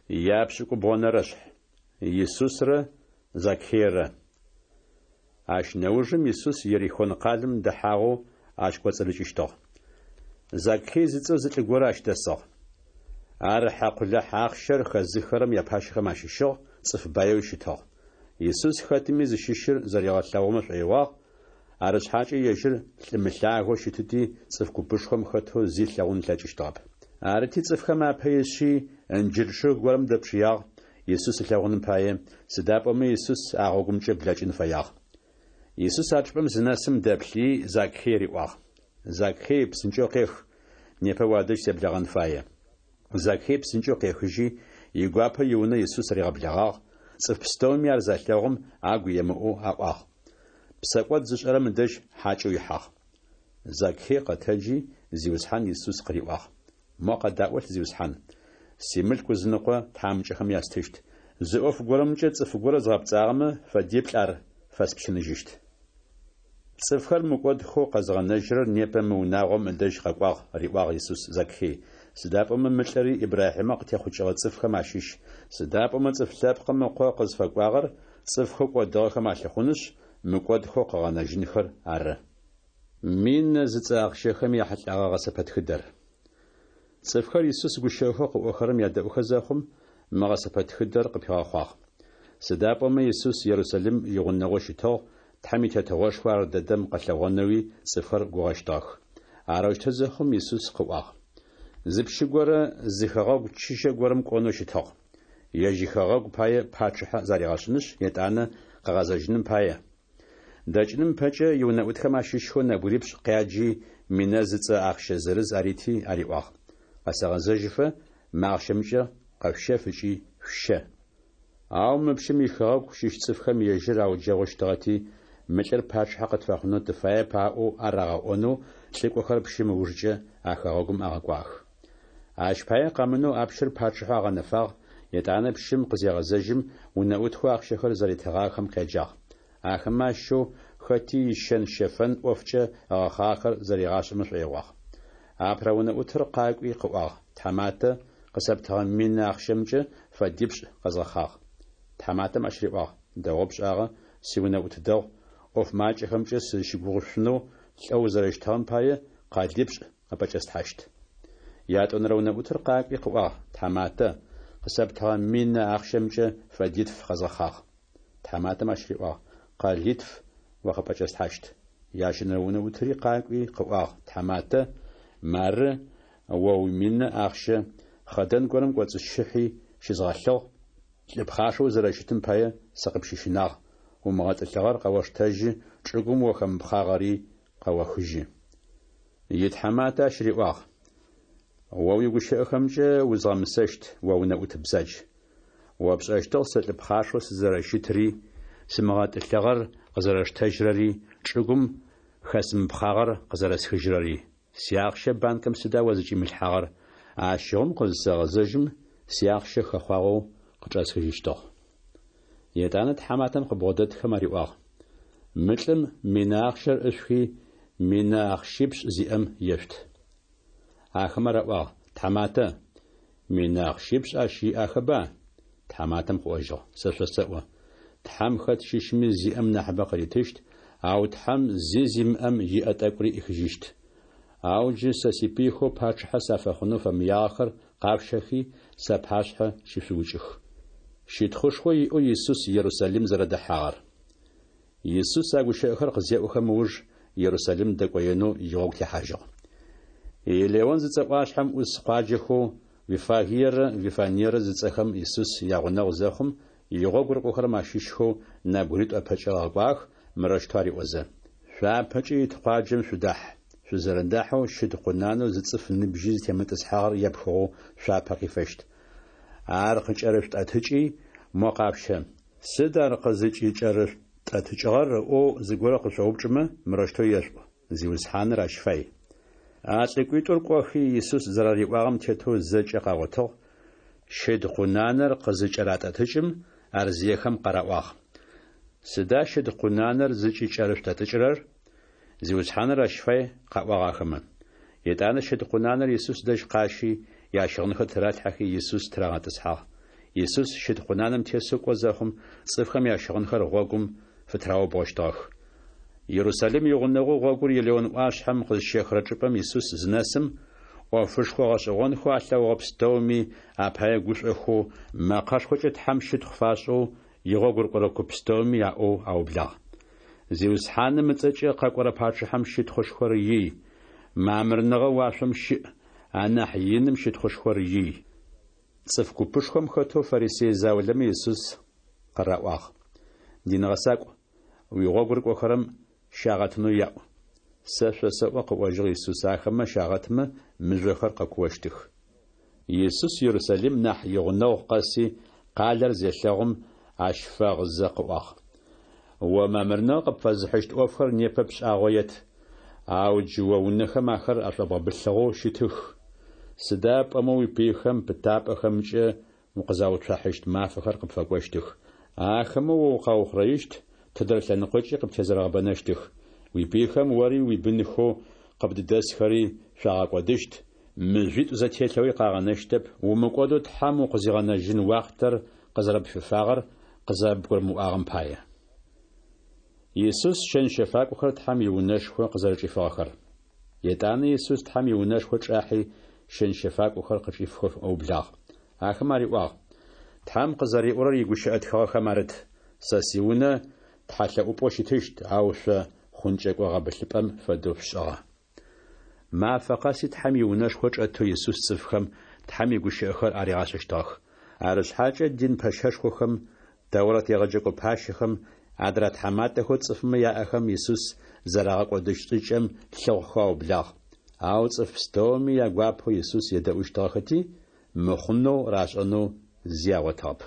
Япшӏыкӏубгъонэрэшъхь. Исусрэ Закхейрэ. Ащ нэужым Исус Ерихон къалэм дэхьагъэу ащ кӏоцӏырыкӏыщтыгъ. Закхей зыцӏэу зы лӏы горэ ащ дэсыгъ. Ар хьакъулахь ахъщэр хэзыххэрэм япащэхэм ащыщыгъ, цӏыф баеуи щытыгъ. Исус хэтми зыщыщыр зэригъэлъэгъумэ шӏоигъуагъ, арышъхьакӏэ ежьыр лӏы мылъагэу щытыти, цӏыф купышхом хэтэу зи ылъэгъун ылъэкӏыщтыгъэп. Арыти, цӏыфхэм апэ ишъи, ынджыр чъыг горэм дэпшыягъ, Исус ылъэгъуным пае, сыда пӏомэ Исус а гъогумкӏэ блэкӏын фэягъ. Исус а чӏыпӏэм зынэсым дэплъыий, Закхей риӏуагъ: Закхей, псынкӏэу къех, непэ уадэжь себлэгъэн фае. Закхей псынкӏэу къехыжьи, игуапэу иунэ Исус ригъэблэгъагъ, цӏыф пстэуми ар залъэгъум, агу емыӏоу аӏуагъ: Псэкӏод зышӏэрэм ыдэжь хьакӏэу ихьагъ. Закхей къэтэджи, Зиусхьан Исус къыриӏуагъ: Мо къэдаӏолъ, Зиусхьан! Симылъку ызыныкъо тхьамыкӏэхэм ястыщт. Зы ӏоф горэмкӏэ цӏыф горэ згъэпцӏагъэмэ, фэдиплӏ ар фэспщыныжьыщт. Цӏыфхэр мыкӏодхэу къэзыгъэнэжьырэр непэ мы унагъом ыдэжь къэкӏуагъ, риӏуагъ Исус Закхей, сыда пӏомэ мы лӏыри Ибрахьимэ къытехъукӏыгъэ цӏыфхэм ащыщ, сыда пӏомэ Цӏыф Лъэпкъым Ыкъо къызфэкӏуагъэр цӏыфхэу кӏодыгъэхэм алъыхъунышъ, мыкӏодхэу къыгъэнэжьынхэр ары. Минэ зыцӏэ ахъщэхэм яхьылӏэгъэ гъэсэпэтхыдэр. Цӏыфхэр Исус гущыӏэхэу къыӏохэрэм ядэӏухэ зэхъум, мы гъэсэпэтхыдэр къыпигъэхъуагъ. Сыда пӏомэ Исус Ерусалим игъунэгъоу щытыгъ, Тхьэм и Тетыгъошхо ар дэдэм къэлъэгъонэуи цӏыфхэр гугъэщтыгъэх. Арэущтэу зэхъум, Исус къыӏуагъ. Зы пщы горэ зы хэгъэгу чыжьэ горэм кӏонэу щытыгъ. Ежь ихэгъэгу пае пачъыхьэ заригъэшӏынышъ, етӏанэ къыгъэзэжьыным пае. Дэкӏыным ыпэкӏэ иунэӏутхэм ащыщхэу нэбгырипшӏ къяджи, минэ зыцӏэ ахъщэ зырыз арити ариӏуагъ: Къэсэгъэзэжьыфэ мы ахъщэмкӏэ къэшъущэф ыкӏи шъущэ. Ау мы пщым ихэгъэгу щыщ цӏыфхэм ежьыр ауджэгъущтыгъэти, мы лӏыр пачъыхьэ къытфэхъунэу тыфаеп аӏоу арагъэӏонэу лӏыкӏохэр пщым ыужкӏэ а хэгъэгум агъэкӏуагъэх. Ащ пае къэмынэу а пщыр пачъыхьэу агъэнэфагъ, етӏанэ пщым къызегъэзэжьым, унэӏутхэу ахъщэхэр зэритыгъагъэхэм къяджагъ. Ахэмэ ащыщэу хэти ищэн-щэфэн ӏофкӏэ ыгъэхъагъэхэр зэригъашӏэмэ шӏоигъуагъ. Апэрэ унэӏутыр къакӏуи къыӏуагъ, Тхьаматэ, къысэптыгъэ минэ ахъщэмкӏэ фэдипшӏ къэзгъэхъагъ. Тхьаматэм ащ риӏуагъ, Дэгъоу пшӏагъэ, сиунэӏут дэгъу, ӏоф макӏэхэмкӏэ сызщыгугъышъунэу лӏэу узэрэщытыгъэм пае къэлипшӏ къыпӏэкӏэслъхьащт. Ятӏонэрэ унэӏутыр къакӏуи къыӏуагъ, Тхьаматэ, къысэптыгъэ минэ ахъщэмкӏэ фэдитф къэзгъэхъагъ. Тхьаматэм ащ риӏуагъ, Къэлитф о къыпӏэкӏэслъхьащт. Ящэнэрэ унэӏутри къакӏуи къыӏуагъ, Тхьаматэ, мары о уиминэ ахъщэ, хъэдэн горэм кӏоцӏысщыхьи щызгъэлъыгъ, лӏы пхъашэу узэрэщытым пае сыкъыпщыщынагъ, умыгъэтӏылъыгъэр къэоштэжьы, чӏыгум о хэмыпхъагъэри къэохыжьы. Итхьаматэ ащ риӏуагъ, О уигущыӏэхэмкӏэ узгъэмысэщт, о унэӏут бзадж. О пшӏэщтыгъ сэ лӏы пхъашэу сызэрэщытри, сымыгъэтӏылъыгъэр къызэрэсштэжьырэри, чӏыгум хэсымыпхъагъэр къызэрэсхыжьырэри. Сиахъщэ банкэм сыда о зыкӏимылъхьагъэр? Ащыгъум къызысэгъэзэжьым, сиахъщэ хэхъуагъэу къычӏэсхыжьыщтыгъ. Етӏанэ тхьаматэм къыбгъодэтхэм ариӏуагъ, Мы лӏым минэ ахъщэр ӏышъухи, минэ ахъщипшӏ зиӏэм ешъут. Ахэмэ араӏуагъ, Тхьаматэ, минэ ахъщипшӏ ащ иӏахэба? Тхьаматэм къыӏожьыгъ, Сэ шъосэӏо, Тхьэм хэт щыщми зиӏэм нахьыбэ къыритыщт, ау Тхьэм зи зимыӏэм иӏэ тӏэкӏури ӏихыжьыщт. Ау джы сэ сипыйхэу пачъыхьэ сафэхъунэу фэмыягъэхэр къашъущэхи, сапашъхьэ щышъуукӏых. Щытхъушхо иӏэу Исус Ерусалим зэрэдэхьагъэр. Исус а гущыӏэхэр къызеӏохэм ыуж Ерусалим дэкӏоенэу игъогу техьажьыгъ. Елеон зыцӏэ ӏуашъхьэм ӏус къуаджэхэу Виффагиерэ Вифаниерэ зыцӏэхэм Исус ягъунэгъу зэхъум, игъогу рыкӏохэрэм ащыщхэу нэбгыритӏу ыпэкӏэ ыгъэкӏуагъэх, мырэущтэу ариӏозэ, Шъуапэкӏэ ит къуаджэм шъудахь. Шъузэрэдахьэу щыд къунанэу зы цӏыф ныбжьи зытемытӏысхьагъэр епхыгъэу шъуапэ къифэщт. Ар къыкӏэрышъутӏэтыкӏи, мо къашъущэ. Сыд ар къызыкӏыкӏэрышъутӏэтыкӏыгъэр ыӏоу зыгорэ къышъоупчӏымэ, мырэущтэу ешъуӏу, Зиусхьаныр ащ фай. А лӏыкӏуитӏур кӏохи, Исус зэрариӏуагъэм тетэу зэкӏэ къагъотыгъ, щыд къунанэр къызыкӏэратӏэтыкӏым, ар зиехэм къараӏуагъ. Сыда щыд къунанэр зыкӏыкӏэрышъутӏэтыкӏырэр? Зиусхьаныр ащ фай, къаӏуагъ ахэмэ. Етӏанэ щыд къунанэр Исус дэжь къащи, ящыгъынхэр тыралъхьэхи, Исус тырагъэтӏысхьагъ. Исус щыд къунанэм тесэу кӏо зэхъум, цӏыфхэм ящыгъынхэр гъогум фытыраубгъощтыгъэх. Ерусалим игъунэгъоу гъогур Елеон ӏуашъхьэм къызщехырэ чӏыпӏэм Исус зынэсым, ӏофышхо гъэшӏэгъонхэу алъэгъугъэ пстэуми апае гушӏохэу, мэкъэшхокӏэ Тхьэм щытхъу фашӏэу, игъогу рыкӏорэ куп пстэуми аӏоу аублагъ. Зиусхьаным ыцӏэкӏэ къэкӏорэ пачъыхьэм щытхъушхор ий! Мамырныгъэ уашъом щыӏ, анахь иным щытхъушхор ий! Цӏыф купышхом хэтэу фарисей заулэмэ Исус къыраӏуагъ: Дин гъэсакӏу, уигъогу рыкӏохэрэм щагъэтынэу яӏу. Сэ шъосэӏо, къыӏожьыгъ Исус, ахэмэ щагъэтмэ, мыжъохэр къэкуощтых. Исус Ерусалим нахь игъунэгъу къэси, къалэр зелъэгъум, ащ фэгъызэ къыӏуагъ. О мамырныгъэ къыпфэзыхьыщт ӏофхэр непэ пшӏагъоет, ау джы о унэхэм ахэр ашӏобгъэбылъыгъэу щытых. Сыда пӏомэ уипыйхэм пытапӏэхэмкӏэ укъызауцухьащт мафэхэр къыпфэкӏощтых. Ахэмэ о укъаухъурэищт, тыдрэ лъэныкъокӏи къыптезэрэгъэбэнэщтых. Уипыйхэм ори уибынхэу къыбдыдэсхэри шъуагъэкӏодыщт, мыжъуитӏу зэтелъэуи къагъэнэщтэп, умыкӏодэу Тхьэм укъызигъэнэжьын уахътэр къызэрэпфифагъэр къызэрэбгурымыӏуагъэм пае. Исус щэн-щэфакӏохэр Тхьэм иунэшхо къызэрэчӏифыгъэхэр. Етӏанэ Исус Тхьэм иунэшхо чӏахьи, щэн-щэфакӏохэр къычӏифхэу ыублагъ. Ахэм ариӏуагъ: Тхьэм къызэриӏорэр игущыӏэ тхыгъэхэм арыт: Сэ сиунэ тхьэлъэӏупӏэу щытыщт, ау шъо хъункӏэкӏо гъэбылъыпӏэм фэдэу шъушӏыгъэ. Мафэ къэси Тхьэм иунэшхо чӏэтэу Исус цӏыфхэм Тхьэм игущыӏэхэр аригъашӏэщтыгъэх. Арышъхьакӏэ дин пэщэшхохэм, Тэурэт егъэджэкӏо пащэхэм, адрэ тхьаматэхэу цӏыфмэ яӏэхэм Исус зэрагъэкӏодыщт шӏыкӏэм лъыхъухэу аублагъ. Ау цӏыф пстэуми ягуапэу Исус едэӏущтыгъэхэти, мыхъунэу рашӏэнэу зи агъотыгъэп.